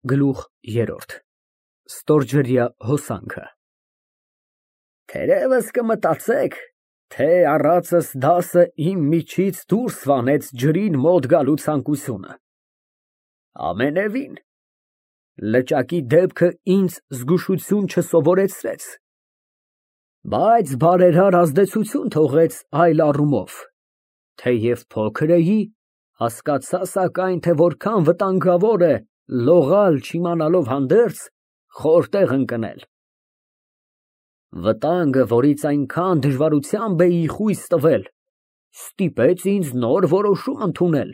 Գլուխ երրորդ Ստորջրյա հոսանքը Թերևս կմտածեք, թե առածս դասը իմ միջից դուրս վանեց ջրին մոտ գալու ցանկությունը։ Ամենևին, լճակի դեպքը ինձ զգուշություն չսովորեցրեց, բայց բարերար ազդեցություն թողեց այլ առումով, թեև փոքր էի, հասկացա սակայն, թե որքան վտանգավոր է լողալ չիմանալով հանդերձ խոր տեղ ընկնել։ Վտանգը, որից այնքան դժվարությամբ էի խույս տվել, ստիպեց ինձ նոր որոշում ընդունել,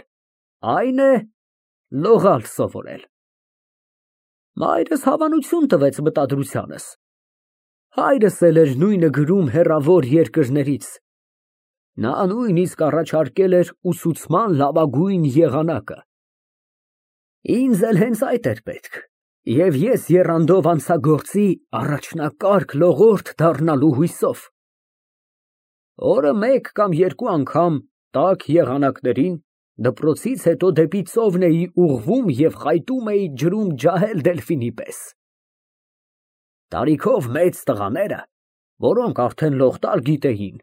այն է լողալ սովորել։ Մայրս հավանություն տվեց մտադրությանս։ Հայրս էլ էր նույնը գրում հեռավոր երկրներից։ Նա նույնիսկ առաջարկել էր ուսուցման լավագույն եղանակը։ Ինձ էլ հենց այդ էր պետք, և ես եռանդով անցա գործի առաջնակարգ լողորդ դառնալու հույսով։ Օրը մեկ կամ երկու անգամ տաք եղանակներին դպրոցից հետո դեպի ծովն էի ուղղվում և խայտում էի ջրում ջահել դելֆինի պես։ Տարիքով մեծ տղաները, որոնք արդեն լող տալ գիտեին,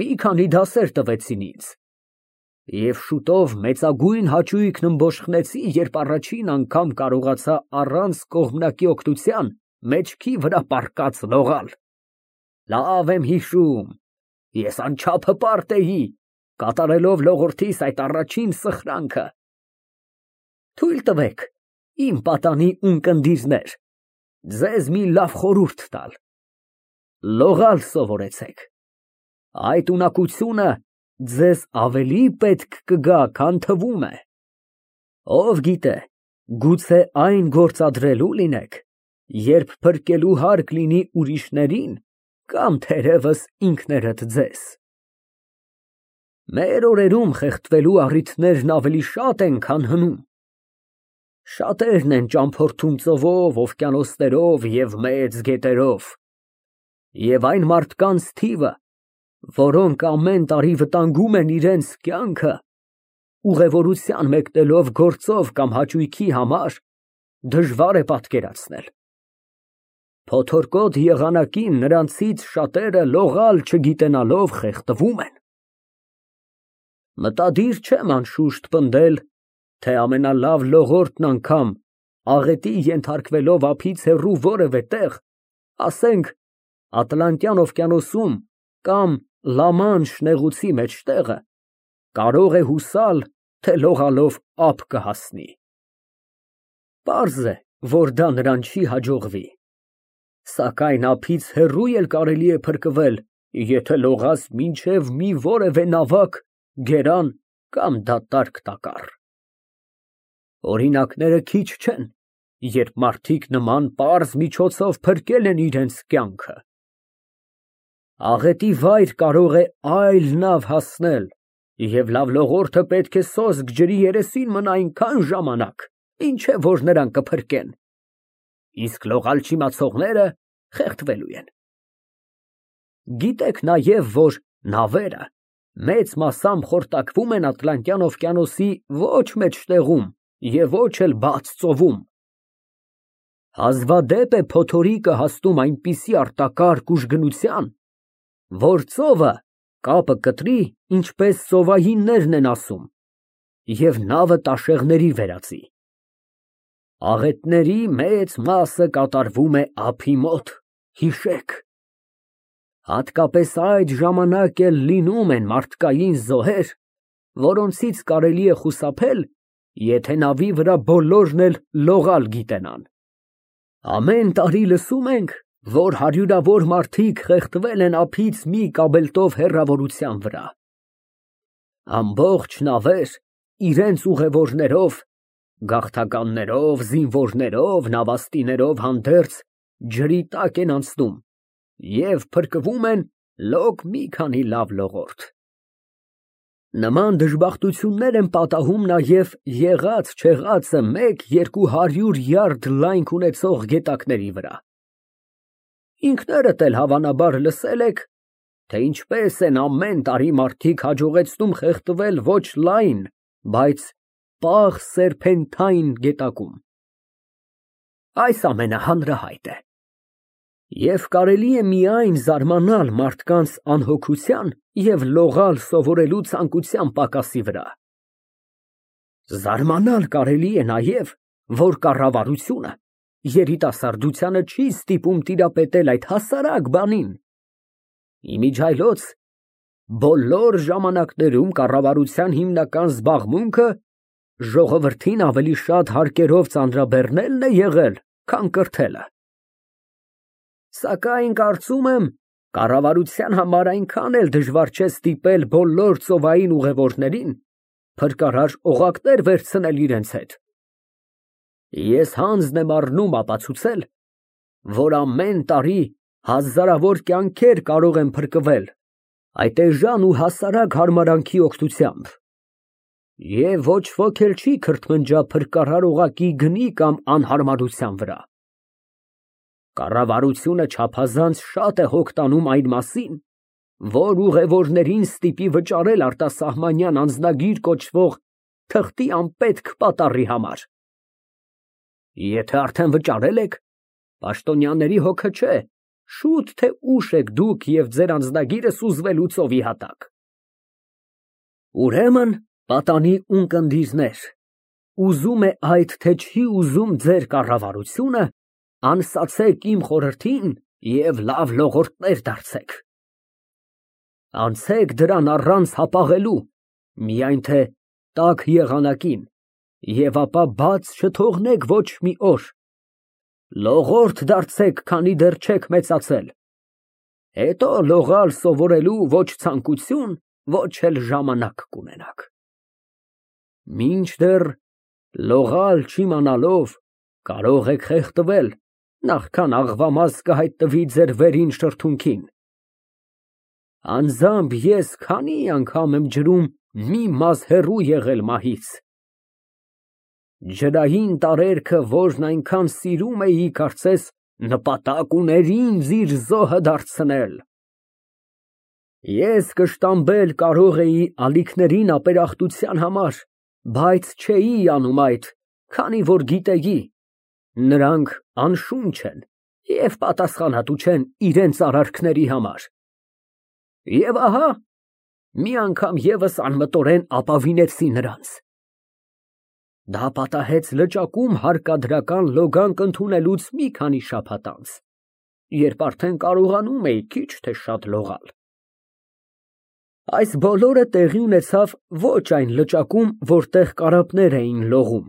մի քանի դասեր տվեցին ինձ, և շուտով մեծագույն հաճույքն ըմբոշխնեցի, երբ առաջին անգամ կարողացա առանց կողմնակի օգնության մեջքի վրա պառկած լողալ։ Լավ եմ հիշում, ես անչափ հպարտ էի, կատարելով լողորդիս այդ առաջին սխրանքը։ Թույլ տվեք, իմ պատանի ունկնդիրներ, ձեզ մի լավ խորհուրդ տալ. լողալ սովորեցեք, այդ ունակությունը ձեզ ավելի պետք կգա, քան թվում է։ Ով գիտե, գուցե այն գործադրելու լինեք, երբ փրկելու հարկ լինի ուրիշներին կամ թերևս ինքներդ ձեզ։ Մեր օրերում խեղդվելու առիթներն ավելի շատ են, քան հնում։ Շատերն են ճամփորդում ծովով, օվկիանոսներով և մեծ գետերով, և այն մարդկանց թիվը, որոնք ամեն տարի վտանգում են իրենց կյանքը, ուղևորության մեկնելով գործով կամ հաճույքի համար, դժվար է պատկերացնել։ Փոթորկոտ եղանակին նրանցից շատերը լողալ չգիտենալով խեղդվում են։ Մտադիր չեմ անշուշտ պնդել, թե ամենալավ լողորդն անգամ աղետի ենթարկվելով ափից հեռու որևէ տեղ, ասենք Ատլանտյան օվկիանոսում կամ Լա-Մանշ նեղուցի մեջտեղը, կարող է հուսալ, թե լողալով ափ կհասնի։ Պարզ է, որ դա նրան չի հաջողվի, սակայն ափից հեռու էլ կարելի է փրկվել, եթե լողաս մինչև մի որևէ նավակ, գերան կամ դատարկ տակառ։ Օրինակները քիչ չեն, երբ մարդիկ նման պարզ միջոցով փրկել են իրենց կյանքը։ Աղետի վայր կարող է այլ նավ հասնել, և լավ լողորդը պետք է սոսկ ջրի երեսին մնա այնքան ժամանակ, մինչև որ նրան կփրկեն, իսկ լողալ չիմացողները խեղդվելու են։ Գիտեք նաև, որ նավերը մեծ մասամբ խորտակվում են Ատլանտյան օվկիանոսի ոչ մեջտեղում և ոչ էլ բաց ծովում։ Հազվադեպ է փոթորիկը հասնում այնպիսի արտակարգ ուժգնության, որ ծովը կապը կտրի, ինչպես ծովայիններն են ասում, և նավը տաշեղների վերածի։ Աղետների մեծ մասը կատարվում է ափի մոտ, հիշեք։ Հատկապես այդ ժամանակ էլ լինում են մարդկային զոհեր, որոնցից կարելի է խուսափել, եթե նավի վրա բոլորն էլ լողալ գիտենան։ Ամեն տարի լսում ենք, որ հարյուրավոր մարդիկ խեղդվել են ափից մի կաբելտով հեռավորության վրա։ Ամբողջ նավեր իրենց ուղևորներով, գաղթականներով, զինվորներով, նավաստիներով հանդերձ ջրի տակ են անցնում և փրկվում են լոկ մի քանի լավ լողորդ։ Նման դժբախտություններ են պատահում նաև եղած-չեղածը 100-200 յարդ լայնք ունեցող գետակների վրա։ Ինքներդ էլ հավանաբար լսել եք, թե ինչպես են ամեն տարի մարդիկ հաջողեցնում խեղդվել ոչ լայն, բայց պաղ սերպենթային գետակում։ այս ամենը հանրահայտ է։ Եվ կարելի է միայն զարմանալ մարդկանց անհոգության և լողալ սովորելու ցանկության պակասի վրա։ Զարմանալ կարելի է նաև, որ կառավարությունը երիտասարդությանը չի ստիպում տիրապետել այդ հասարակ բանին։ Իմիջիայլոց բոլոր ժամանակներում կառավարության հիմնական զբաղմունքը ժողովրդին ավելի շատ հարկերով ծանրաբեռնելն է եղել, քան կրթելը։ Սակայն կարծում եմ, կառավարության համար այնքան էլ դժվար չէ ստիպել բոլոր ծովային ուղևորներին փրկարար օղակներ վերցնել իրենց հետ։ Ես հանձն եմ առնում ապացուցել, որ ամեն տարի հազարավոր կյանքեր կարող են փրկվել այդ էժան ու հասարակ հարմարանքի օգնությամբ, և ոչ ոք էլ չի քրթմնջա փրկարար օղակի գնի կամ անհարմարության վրա։ Կառավարությունը չափազանց շատ է հոգ տանում այն մասին, որ ուղևորներին ստիպի վճարել արտասահմանյան անձնագիր կոչվող թղթի անպետք պատառի համար։ Եթե արդեն վճարել եք, պաշտոնյաների հոգը չէ, շուտ թե ուշ եք դուք և ձեր անձնագիրը սուզվելու ծովի հատակ։ Ուրեմն, պատանի ունկնդիրներ, ուզում է այդ, թե չի ուզում ձեր կառավարությունը, անսացեք իմ խորհրդին և լավ լողորդներ դարձեք։ Անցեք դրան առանց հապաղելու, միայն թե տաք եղանակին, և ապա բաց չթողնեք ոչ մի օր։ Լողորդ դարձեք, քանի դեռ չեք մեծացել, հետո լողալ սովորելու ոչ ցանկություն, ոչ էլ ժամանակ կունենաք։ Մինչդեռ լողալ չիմանալով կարող եք խեղդվել, նախքան աղվամաս կհայտնվի ձեր վերին շրթունքին։ Անձամբ ես քանի անգամ եմ ջրում մի մազը հեռու եղել մահից։ Ջրային տարերքը, որն այնքան սիրում էի, կարծես նպատակ ուներ ինձ իր զոհը դարձնել։ Ես կշտամբել կարող էի ալիքներին ապերախտության համար, բայց չէի անում այդ, քանի որ գիտեի, նրանք անշունչ են և պատասխանատու չեն իրենց արարքների համար։ Եվ ահա, մի անգամ ևս անմտորեն ապավինեցի նրանց։ Դա պատահեց լճակում հարկադրական լոգանք ընդունելուց մի քանի շաբաթ անց, երբ արդեն կարողանում էի քիչ թե շատ լողալ։ Այս բոլորը տեղի ունեցավ ոչ այն լճակում, որտեղ կարապներ էին լողում,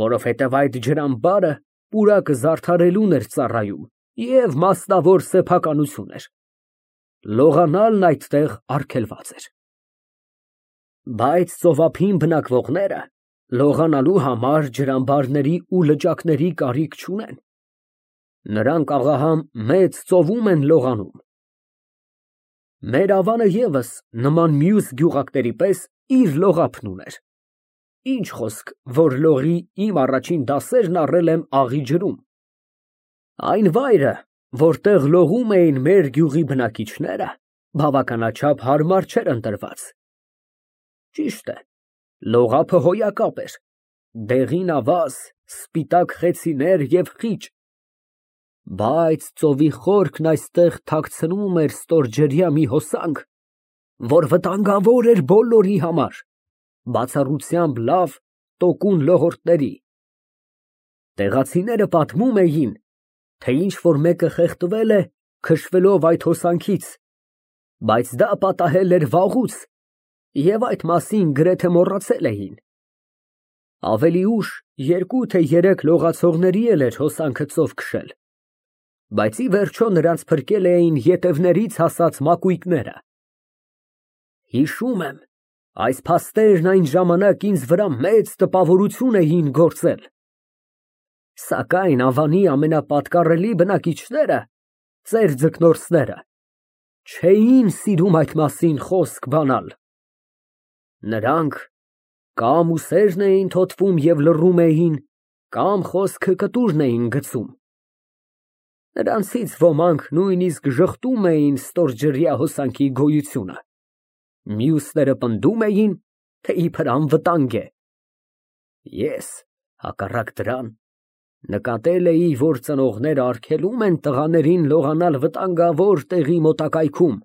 որովհետև այդ ջրամբարը պուրակը զարդարելուն էր ծառայում և մասնավոր սեփականություն էր։ Լողանալն այդտեղ արգելված էր։ Բայց ծովափին բնակվողները լողանալու համար ջրամբարների ու լճակների կարիք չունեն։ Նրանք աղահամ մեծ ծովում են լողանում։ Մեր ավանը ևս նման մյուս գյուղակների պես իր լողափն ուներ։ Ինչ խոսք, որ լողի իմ առաջին դասերն առել եմ աղի ջրում։ Այն վայրը, որտեղ լողում էին մեր գյուղի բնակիչները, բավականաչափ հարմար չէր ընտրված։ Ճիշտ է, լողափը հոյակապ էր, դեղին ավազ, սպիտակ խեցիներ և խիճ, բայց ծովի խորքն այստեղ թաքցնում էր ստորջրյա մի հոսանք, որ վտանգավոր էր բոլորի համար, բացառությամբ լավ, տոկուն լողորդների։ Տեղացիները պատմում էին, թե ինչ֊որ մեկը խեղդվել է, քշվելով այդ հոսանքից, բայց դա պատահել էր վաղուց, և այդ մասին գրեթե մոռացել էին։ Ավելի ուշ երկու թե երեք լողացողների էլ էր հոսանքը ծով քշել, բայց ի վերջո նրանց փրկել էին ետևներից հասած մակույկները։ Հիշում եմ, այս փաստերն այն ժամանակ ինձ վրա մեծ տպավորություն էին գործել։ Սակայն ավանի ամենապատկառելի բնակիչները, ծեր ձկնորսները, չէին սիրում այդ մասին խոսք բանալ։ Նրանք կամ ուսերն էին թոթվում և լռում էին, կամ խոսքը կտուրն էին գցում։ Նրանցից ոմանք նույնիսկ ժխտում էին ստորջրյա հոսանքի գոյությունը, մյուսները պնդում էին, թե իբր անվտանգ է։ Ես, հակառակ դրան, Նկատել էի, որ ծնողները արգելում են տղաներին լողանալ վտանգավոր տեղի մոտակայքում։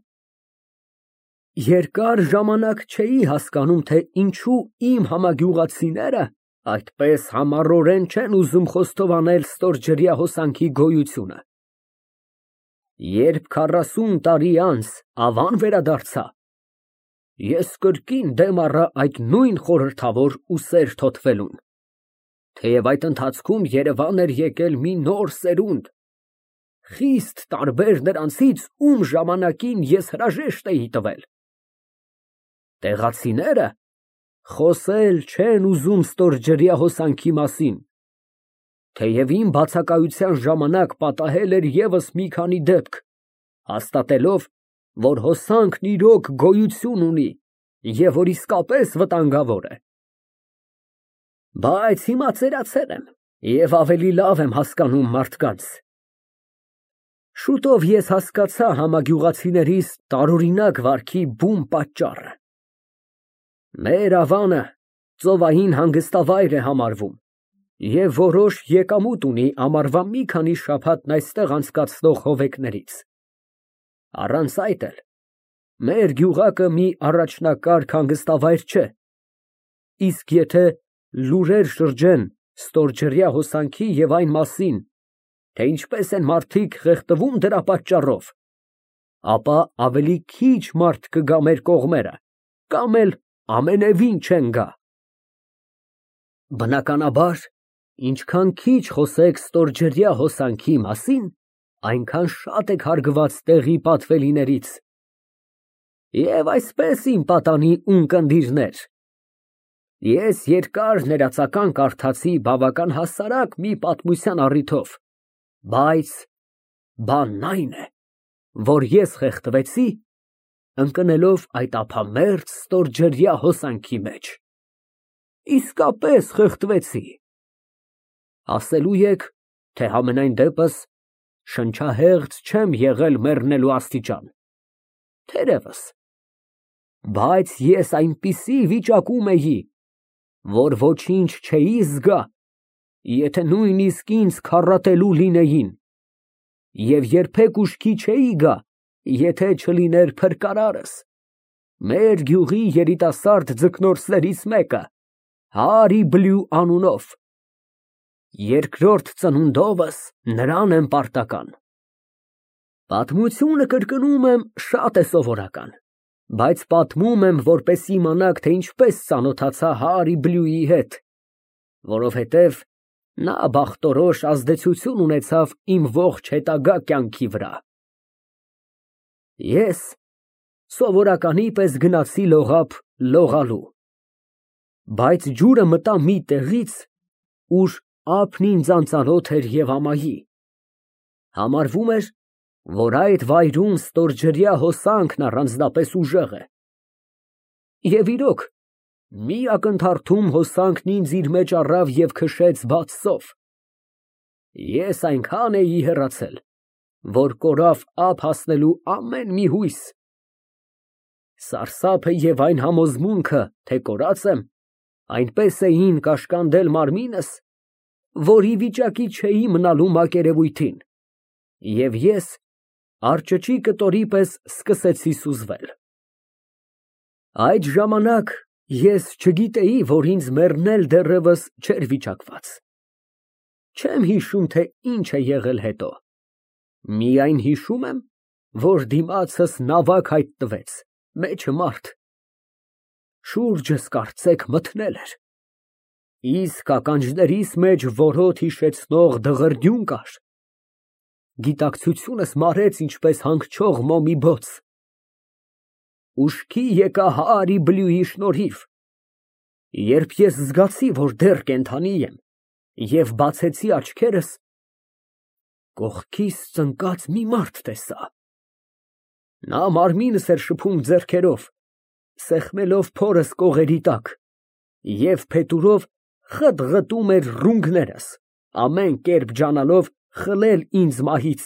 Երկար ժամանակ չէի հասկանում, թե ինչու իմ համագյուղացիները այդպես համառորեն չեն ուզում խոստովանել ստորջրյա հոսանքի գոյությունը։ Երբ 40 տարի անց Ավան վերադարձա, ես կրկին դեմ առա այդ նույն խորհրդավոր ու սեր թոթվելուն, թեև այդ ընթացքում Երևան էր եկել մի նոր սերունդ, խիստ տարբեր նրանցից, ում ժամանակին ես հրաժեշտ էի տվել։ Տեղացիները խոսել չեն ուզում ստորջրյա հոսանքի մասին, թեև իմ բացակայության ժամանակ պատահել էր ևս մի քանի դեպք, հաստատելով, որ հոսանքն իրոք գոյություն ունի և որ իսկապես վտանգավոր է։ Բայց հիմա ծերացել եմ և ավելի լավ եմ հասկանում մարդկանց։ Շուտով ես հասկացա համագյուղացիներիս տարօրինակ վարքի բուն պատճառը։ Մեր Ավանը ծովային հանգստավայր է համարվում և որոշ եկամուտ ունի ամառվա մի քանի շաբաթն այստեղ անցկացնող հովեկներից։ Առանց այդ էլ մեր գյուղակը մի առաջնակարգ հանգստավայր չէ, իսկ եթե լուրեր շրջեն ստորջրյա հոսանքի և այն մասին, թե ինչպես են մարդիկ խեղդվում դրա պատճառով, ապա ավելի քիչ մարդ կգա մեր կողմերը, կամ էլ ամենևին չեն գա։ Բնականաբար, ինչքան քիչ խոսեք ստորջրյա հոսանքի մասին, այնքան շատ եք հարգված տեղի պատվելիներից։ Եվ այսպես իմ պատանի ունկնդիրներ, ես երկար ներածական կարդացի բավական հասարակ մի պատմության առիթով, բայց բանն այն է, որ ես խեղդվեցի, ընկնելով այդ ափամերձ ստորջրյա հոսանքի մեջ։ Իսկապես խեղդվեցի։ Ասելու եք, թե համենայն դեպս շնչահեղձ չեմ եղել մեռնելու աստիճան։ Թերևս, բայց ես այնպիսի վիճակում էի, որ ոչինչ չէի զգա, եթե նույնիսկ ինձ քառատելու լինեին, և երբեք ուշքի չէի գա, եթե չլիներ փրկարարս, մեր գյուղի երիտասարդ ձկնորսներից մեկը, Հարի Բլյու անունով։ Երկրորդ ծնունդովս նրան եմ պարտական։ Պատմությունը կրկնում եմ շատ է սովորական, բայց պատմում եմ, որպես իմանաք, թե ինչպես ծանոթացա Հարի Բլյուի հետ, որովհետև նա բախտորոշ ազդեցություն ունեցավ իմ ողջ հետագա կյանքի վրա։ Ես սովորականի պես գնացի լողափ լողալու, բայց ջուրը մտա մի տեղից, ուր ափն ինձ անծանոթ էր և ամայի։ Համարվում էր, որ այդ վայրում ստորջրյա հոսանքն առանձնապես ուժեղ է։ Եվ իրոք, մի ակնթարթում հոսանքն ինձ իր մեջ առավ և քշեց բաց ծով։ Ես այնքան էի հեռացել, որ կորավ ափ հասնելու ամեն մի հույս։ Սարսափը և այն համոզմունքը, թե կորած եմ, այնպես էին կաշկանդել մարմինս, որ ի վիճակի չէի մնալու մակերևույթին, և ես արճճի կտորի պես սկսեցի սուզվել։ Այդ ժամանակ ես չգիտեի, որ ինձ մեռնել դեռևս չէր վիճակված։ Չեմ հիշում, թե ինչ է եղել հետո, միայն հիշում եմ, որ դիմացս նավակ հայտնվեց, մեջը մարդ։ Շուրջս կարծեք մթնել էր, իսկ ականջներիս մեջ որոտ հիշեցնող դղրդյուն կար։ Գիտակցությունս մարեց ինչպես հանգչող մոմի բոց։ Ուշքի եկա Հարի Բլյուի շնորհիվ, երբ ես զգացի, որ դեռ կենդանի եմ, և բացեցի աչքերս, կողքիս ծնկած մի մարդ տեսա։ Նա մարմինս էր շփում ձեռքերով, սեղմելով փորս կողերի տակ, և փետուրով խըտ֊ղտում էր ռունգներս, ամեն կերպ ջանալով խլել ինձ մահից։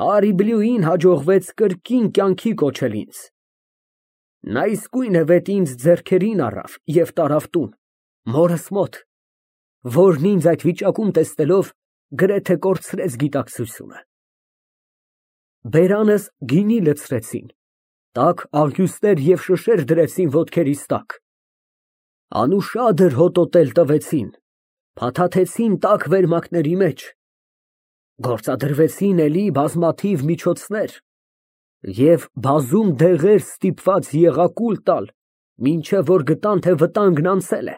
Հարի Բլյուին հաջողվեց կրկին կյանքի կոչել ինձ։ Նա իսկույնևեթ ինձ ձեռքերին առավ և տարավ տուն, մորս մոտ։ որն ինձ այդ վիճակում տեսնելով գրեթե կորցրեց գիտակցությունը։ Բերանս գինի լցրեցին, տաք աղյուսներ և շշեր դրեցին ոտքերիս տակ, անուշադր հոտոտել տվեցին, փաթաթեցին տաք վերմակների մեջ, գործադրվեցին էլի բազմաթիվ միջոցներ և բազում դեղեր ստիպված եղա կուլ տալ, մինչև որ գտան, թե վտանգն անցել է,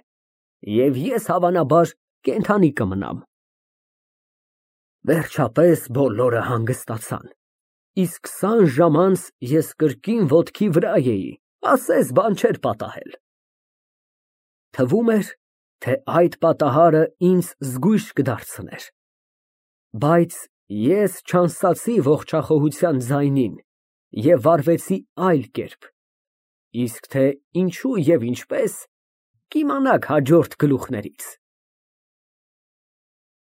և ես հավանաբար կենդանի կմնամ։ Վերջապես բոլորը հանգստացան, իսկ 20 ժամ անց ես կրկին ոտքի վրա էի, ասես բան չէր պատահել։ Թվում էր, թե այդ պատահարը ինձ զգույշ կդարձներ, բայց ես չանսացի ողջախոհության ձայնին և վարվեցի այլ կերպ, իսկ թե ինչու և ինչպես, կիմանաք հաջորդ գլուխներից։